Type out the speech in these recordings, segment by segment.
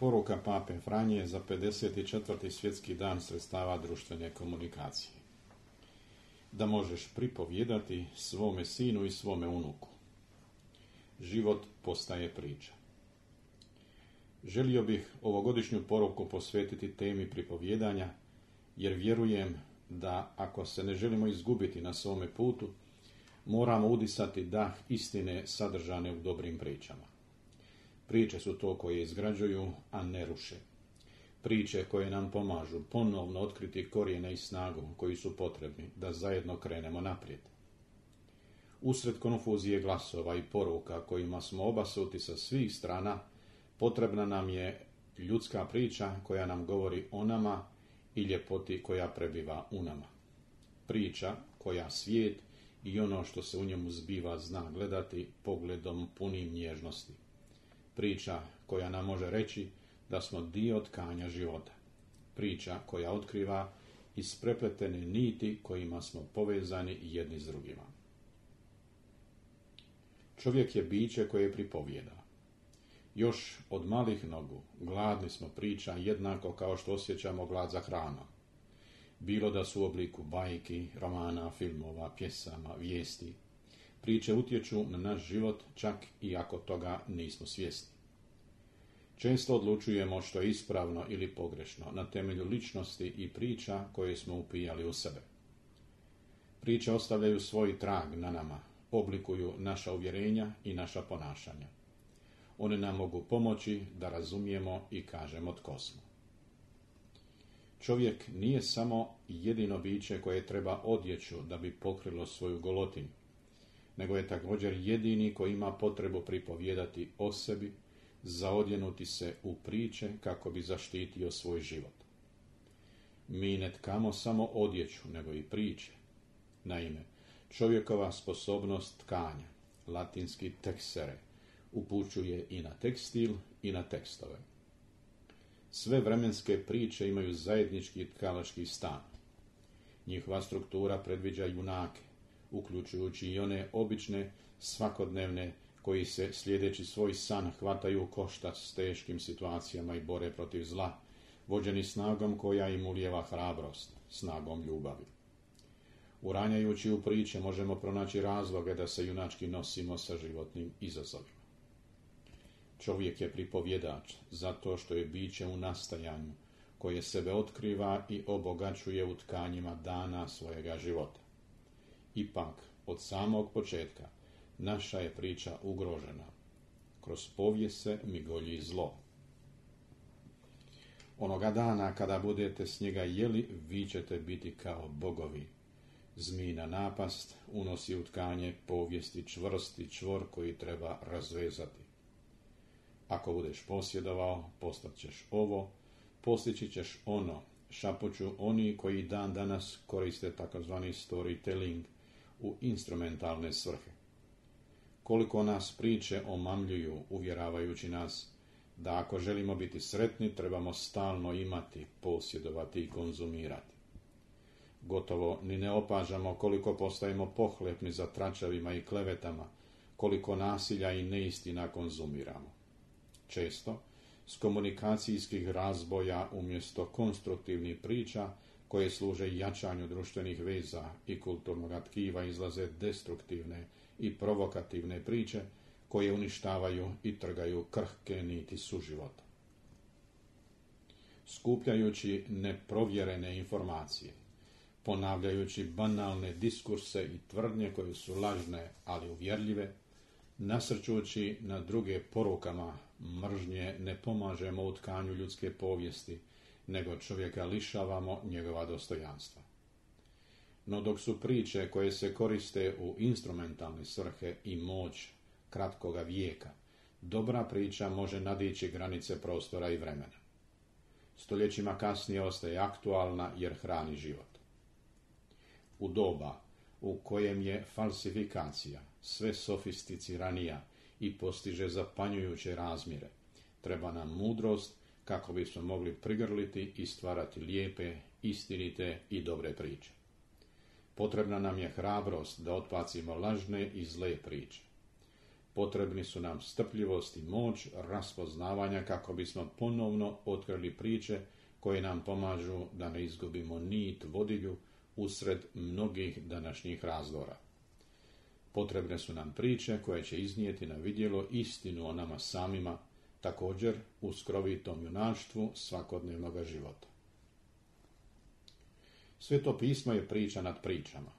Poruka pape Franje za 54. svjetski dan sredstava društvene komunikacije. Da možeš pripovjedati svome sinu i svome unuku. Život postaje priča. Želio bih ovogodišnju poruku posvetiti temi pripovjedanja, jer vjerujem da ako se ne želimo izgubiti na svome putu, moramo udisati dah istine sadržane u dobrim pričama. Priče su to koje izgrađuju, a ne ruše. Priče koje nam pomažu ponovno otkriti korijene i snagu koji su potrebni da zajedno krenemo naprijed. Usred konfuzije glasova i poruka kojima smo obasuti sa svih strana, potrebna nam je ljudska priča koja nam govori o nama i ljepoti koja prebiva u nama. Priča koja svijet i ono što se u njemu zbiva zna gledati pogledom punim nježnosti. Priča koja nam može reći da smo dio tkanja života. Priča koja otkriva isprepletene niti kojima smo povezani jedni s drugima. Čovjek je biće koje pripovijeda. Još od malih nogu gladni smo priča jednako kao što osjećamo glad za hranom. Bilo da su u obliku bajki, romana, filmova, pjesama, vijesti. Priče utječu na naš život čak i ako toga nismo svjesni. Često odlučujemo što je ispravno ili pogrešno na temelju ličnosti i priča koje smo upijali u sebe. Priče ostavljaju svoj trag na nama, oblikuju naša uvjerenja i naša ponašanja. One nam mogu pomoći da razumijemo i kažemo tko smo. Čovjek nije samo jedino biće koje treba odjeću da bi pokrilo svoju golotinu, nego je također jedini koji ima potrebu pripovjedati o sebi, zaodjenuti se u priče kako bi zaštitio svoj život. Mi ne tkamo samo odjeću, nego i priče. Naime, čovjekova sposobnost tkanja, latinski texere, upućuje i na tekstil i na tekstove. Sve vremenske priče imaju zajednički tkalački stan. Njihova struktura predviđa junake, uključujući i one obične, svakodnevne, koji se slijedeći svoj san hvataju u koštac s teškim situacijama i bore protiv zla, vođeni snagom koja im ulijeva hrabrost, snagom ljubavi. Uranjajući u priče možemo pronaći razloge da se junački nosimo sa životnim izazovima. Čovjek je pripovjedač zato što je biće u nastajanju, koje sebe otkriva i obogaćuje u tkanjima dana svojega života. Ipak, od samog početka, naša je priča ugrožena. Kroz povijest se migolji zlo. Onoga dana kada budete s njega jeli, vi ćete biti kao bogovi. Zmijina napast unosi u tkanje povijesti čvrsti čvor koji treba razvezati. Ako budeš posjedovao, postat ćeš ovo, postići ćeš ono, šapuću oni koji dan danas koriste takozvani storytelling u instrumentalne svrhe. Koliko nas priče omamljuju, uvjeravajući nas da ako želimo biti sretni, trebamo stalno imati, posjedovati i konzumirati. Gotovo ni ne opažamo koliko postajemo pohlepni za tračevima i klevetama, koliko nasilja i neistina konzumiramo. Često, s komunikacijskih razboja umjesto konstruktivnih priča koje služe jačanju društvenih veza i kulturnog tkiva izlaze destruktivne i provokativne priče koje uništavaju i trgaju krhke niti suživota. Skupljajući neprovjerene informacije, ponavljajući banalne diskurse i tvrdnje koje su lažne ali uvjerljive, nasrćući na druge porukama mržnje, ne pomažemo u tkanju ljudske povijesti, nego čovjeka lišavamo njegova dostojanstva. No dok su priče koje se koriste u instrumentalne svrhe i moć kratkoga vijeka, dobra priča može nadići granice prostora i vremena. Stoljećima kasnije ostaje aktualna jer hrani život. U doba u kojem je falsifikacija sve sofisticiranija i postiže zapanjujuće razmjere, treba nam mudrost kako bismo mogli prigrliti i stvarati lijepe, istinite i dobre priče. Potrebna nam je hrabrost da otbacimo lažne i zle priče. Potrebni su nam strpljivost i moć raspoznavanja kako bismo ponovno otkrili priče koje nam pomažu da ne izgubimo nit vodilju usred mnogih današnjih razdora. Potrebne su nam priče koje će iznijeti na vidjelo istinu o nama samima, također u skrovitom junaštvu svakodnevnog života. Sveto pismo je priča nad pričama.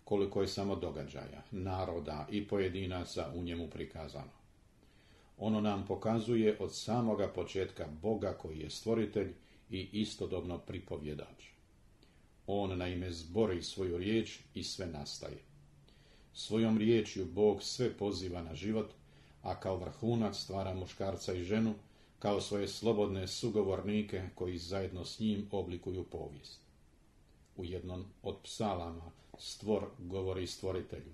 Koliko je samo događaja, naroda i pojedinaca u njemu prikazano. Ono nam pokazuje od samoga početka Boga koji je stvoritelj i istodobno pripovjedač. On naime zbori svoju riječ i sve nastaje. Svojom riječju Bog sve poziva na život, a kao vrhunac stvara muškarca i ženu kao svoje slobodne sugovornike koji zajedno s njim oblikuju povijest. U jednom od psalama stvor govori stvoritelju: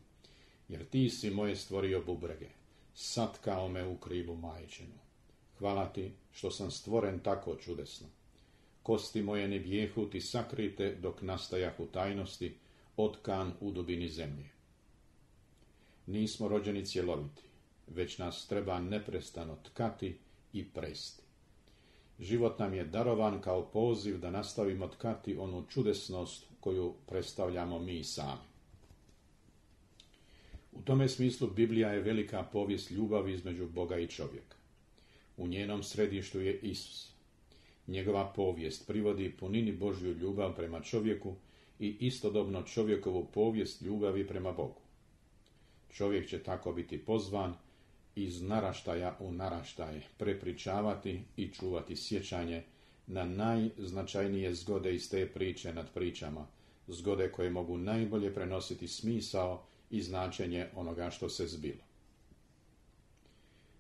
jer ti si moje stvorio bubrege, satkao me u krilu majčinu. Hvala ti što sam stvoren tako čudesno. Kosti moje ne bijehu ti sakrite dok nastajah u tajnosti, otkan u dubini zemlje. Nismo rođeni cjeloviti, već nas treba neprestano tkati i presti. Život nam je darovan kao poziv da nastavimo tkati onu čudesnost koju predstavljamo mi sami. U tome smislu Biblija je velika povijest ljubavi između Boga i čovjeka. U njenom središtu je Isus. Njegova povijest privodi punini Božju ljubav prema čovjeku i istodobno čovjekovu povijest ljubavi prema Bogu. Čovjek će tako biti pozvan iz naraštaja u naraštaj prepričavati i čuvati sjećanje na najznačajnije zgode iz te priče nad pričama, zgode koje mogu najbolje prenositi smisao i značenje onoga što se zbilo.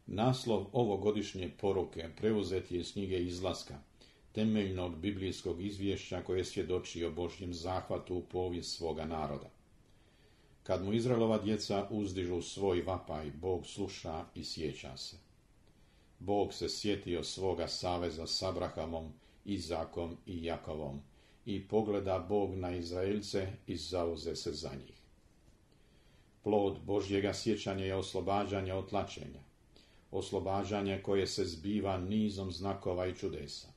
Naslov ovogodišnje poruke preuzet je iz knjige Izlaska, temeljnog biblijskog izvješća koje svjedoči o Božjem zahvatu u povijest svoga naroda. Kad mu Izraelova djeca uzdižu svoj vapaj, Bog sluša i sjeća se. Bog se sjetio svoga saveza s Abrahamom, Izakom i Jakovom i pogleda Bog na Izraelce i zauze se za njih. Plod Božjega sjećanja je oslobađanje od tlačenja, oslobađanje koje se zbiva nizom znakova i čudesa.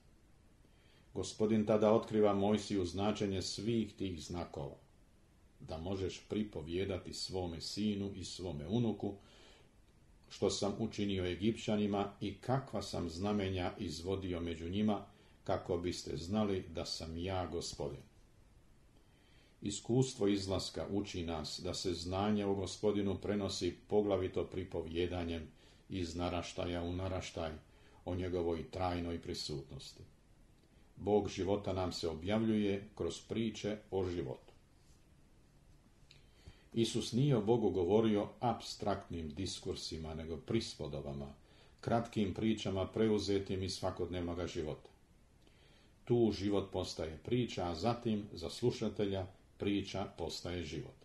Gospodin tada otkriva Mojsiju značenje svih tih znakova, da možeš pripovijedati svome sinu i svome unuku što sam učinio Egipćanima i kakva sam znamenja izvodio među njima, kako biste znali da sam ja Gospodin. Iskustvo izlaska uči nas da se znanje o Gospodinu prenosi poglavito pripovjedanjem iz naraštaja u naraštaj o njegovoj trajnoj prisutnosti. Bog života nam se objavljuje kroz priče o životu. Isus nije o Bogu govorio apstraktnim diskursima, nego prispodobama, kratkim pričama preuzetim iz svakodnevnog života. Tu život postaje priča, a zatim za slušatelja priča postaje život.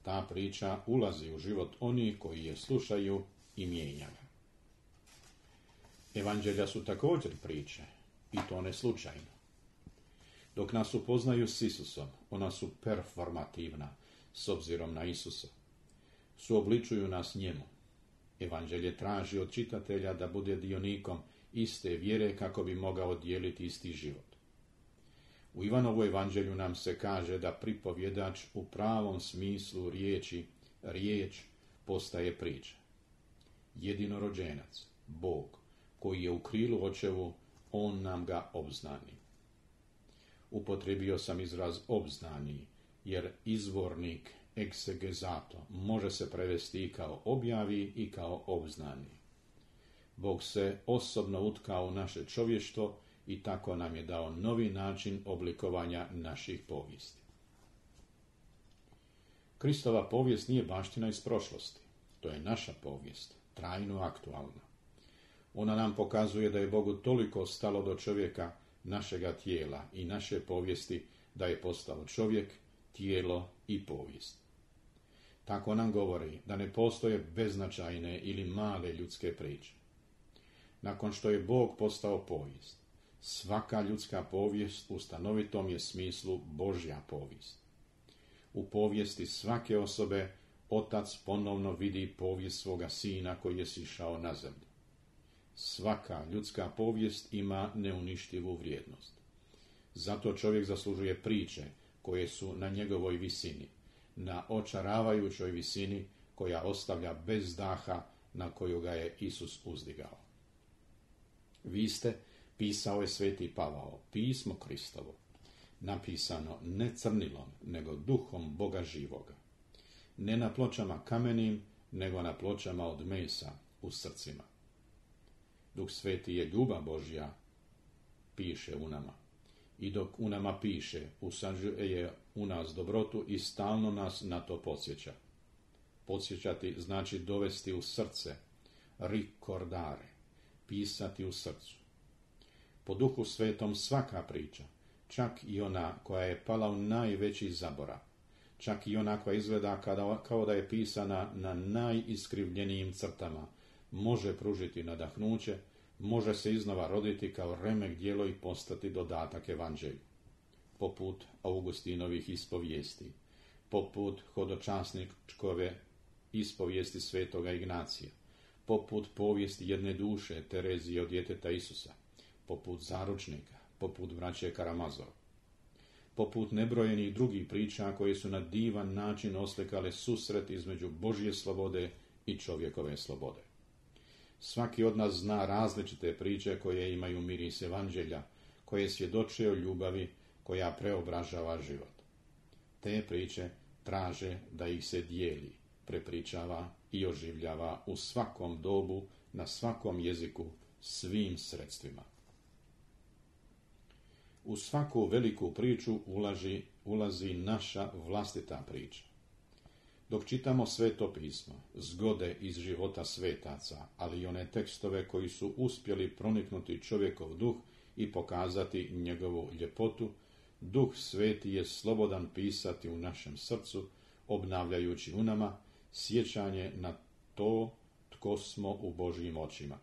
Ta priča ulazi u život onih koji je slušaju i mijenja ga. Evanđelja su također priče, i to ne slučajno. Dok nas upoznaju s Isusom, ona su performativna, s obzirom na Isusa. Suobličuju nas njemu. Evanđelje traži od čitatelja da bude dionikom iste vjere kako bi mogao dijeliti isti život. U Ivanovu evanđelju nam se kaže da pripovjedač u pravom smislu riječ postaje priča. Jedinorođenac, Bog, koji je u krilu očevu, on nam ga obznani. Upotrijebio sam izraz obznani, jer izvornik exegezato može se prevesti i kao objavi i kao obznani. Bog se osobno utkao u naše čovještvo i tako nam je dao novi način oblikovanja naših povijesti. Kristova povijest nije baština iz prošlosti. To je naša povijest, trajno aktualna. Ona nam pokazuje da je Bogu toliko stalo do čovjeka, našega tijela i naše povijesti, da je postao čovjek, tijelo i povijest. Tako nam govori da ne postoje beznačajne ili male ljudske priče. Nakon što je Bog postao povijest, svaka ljudska povijest u stanovitom je smislu Božja povijest. U povijesti svake osobe otac ponovno vidi povijest svoga sina koji je sišao na zemlju. Svaka ljudska povijest ima neuništivu vrijednost. Zato čovjek zaslužuje priče koje su na njegovoj visini, na očaravajućoj visini koja ostavlja bez daha na koju ga je Isus uzdigao. Vi ste, pisao je sveti Pavao, pismo Kristovo, napisano ne crnilom, nego duhom Boga živoga. Ne na pločama kamenim, nego na pločama od mesa u srcima. Duh sveti je ljubav Božja, piše u nama. I dok u nama piše, usađuje u nas dobrotu i stalno nas na to podsjeća. Podsjećati znači dovesti u srce, ricordare, pisati u srcu. Po Duhu Svetom svaka priča, čak i ona koja je pala u najveći zaborav, čak i ona koja izgleda kao da je pisana na najiskrivljenijim crtama, može pružiti nadahnuće, može se iznova roditi kao remek djelo i postati dodatak evanđelju. Poput Augustinovih ispovijesti, poput hodočasničkove ispovijesti svetoga Ignacija, poput povijesti jedne duše Terezije od djeteta Isusa, poput zaručnika, poput braće Karamazov, poput nebrojenih drugih priča koje su na divan način oslikale susret između Božje slobode i čovjekove slobode. Svaki od nas zna različite priče koje imaju miris evanđelja, koje svjedoče o ljubavi koja preobražava život. Te priče traže da ih se dijeli, prepričava i oživljava u svakom dobu, na svakom jeziku, svim sredstvima. U svaku veliku priču ulazi naša vlastita priča. Dok čitamo Sveto pismo, zgode iz života svetaca, ali i one tekstove koji su uspjeli proniknuti čovjekov duh i pokazati njegovu ljepotu, Duh Sveti je slobodan pisati u našem srcu, obnavljajući u nama sjećanje na to tko smo u Božjim očima.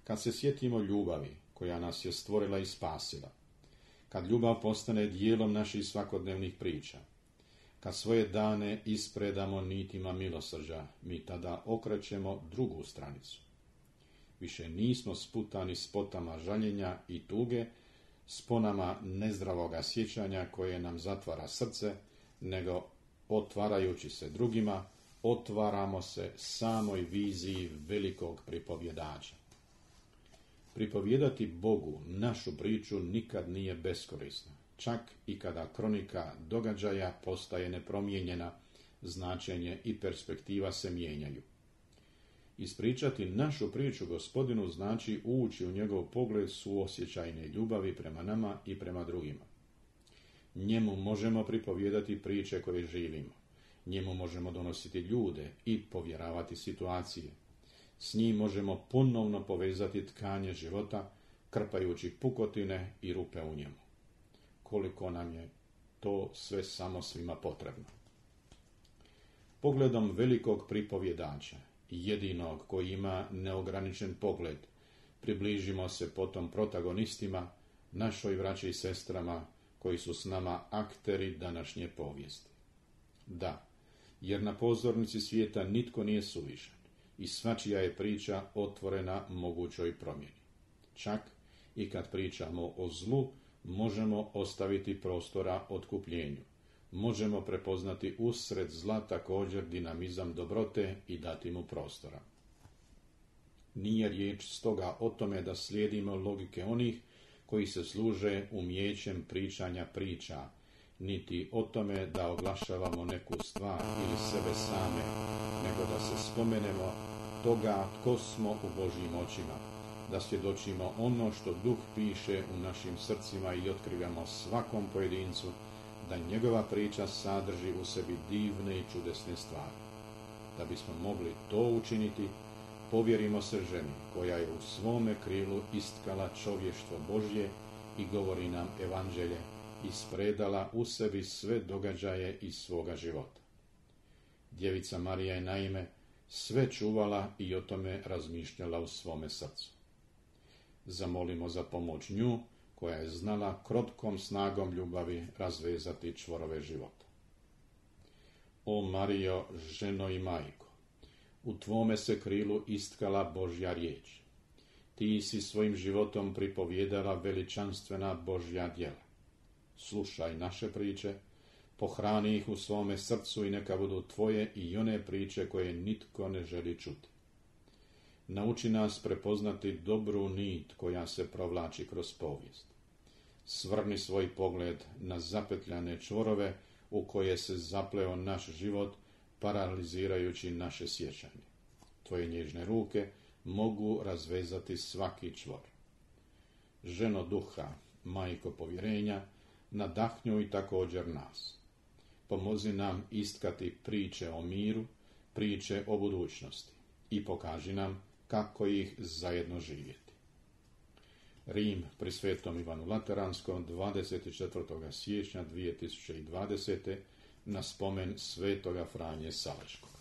Kad se sjetimo ljubavi koja nas je stvorila i spasila, kad ljubav postane dijelom naših svakodnevnih priča, kad svoje dane ispredamo nitima milosrđa, mi tada okrećemo drugu stranicu. Više nismo sputani spotama žaljenja i tuge, sponama nezdravoga sjećanja koje nam zatvara srce, nego otvarajući se drugima, otvaramo se samoj viziji velikog pripovjedača. Pripovjedati Bogu našu priču nikad nije beskorisno. Čak i kada kronika događaja postaje nepromijenjena, značenje i perspektiva se mijenjaju. Ispričati našu priču Gospodinu znači ući u njegov pogled suosjećajne ljubavi prema nama i prema drugima. Njemu možemo pripovjedati priče koje živimo. Njemu možemo donositi ljude i povjeravati situacije. S njim možemo ponovno povezati tkanje života, krpajući pukotine i rupe u njemu. Koliko nam je to sve samo svima potrebno. Pogledom velikog pripovjedača, jedinog koji ima neograničen pogled, približimo se potom protagonistima, našoj braći i sestrama koji su s nama akteri današnje povijesti. Da, jer na pozornici svijeta nitko nije suvišan i svačija je priča otvorena mogućoj promjeni. Čak i kad pričamo o zlu, možemo ostaviti prostora otkupljenju. Možemo prepoznati usred zla također dinamizam dobrote i dati mu prostora. Nije riječ stoga o tome da slijedimo logike onih koji se služe umijećem pričanja priča, niti o tome da oglašavamo neku stvar ili sebe same, nego da se spomenemo toga tko smo u Božjim očima, da svjedočimo ono što Duh piše u našim srcima i otkrivamo svakom pojedincu da njegova priča sadrži u sebi divne i čudesne stvari. Da bismo mogli to učiniti, povjerimo se ženi koja je u svome krilu istkala čovještvo Božje i govori nam evanđelje, ispredala u sebi sve događaje iz svoga života. Djevica Marija je naime sve čuvala i o tome razmišljala u svome srcu. Zamolimo za pomoć nju, koja je znala krotkom snagom ljubavi razvezati čvorove života. O Marijo, ženo i majko, u tvome se krilu istkala Božja riječ. Ti si svojim životom pripovjedala veličanstvena Božja djela. Slušaj naše priče, pohrani ih u svome srcu i neka budu tvoje i one priče koje nitko ne želi čuti. Nauči nas prepoznati dobru nit koja se provlači kroz povijest. Svrni svoj pogled na zapetljane čvorove u koje se zapleo naš život, paralizirajući naše sjećanje. Tvoje nježne ruke mogu razvezati svaki čvor. Ženo duha, majko povjerenja, nadahnjuj također nas. Pomozi nam istkati priče o miru, priče o budućnosti i pokaži nam kako ih zajedno živjeti. Rim pri Svetom Ivanu Lateranskom 24. siječnja 2020. na spomen Svetoga Franje Salačkog.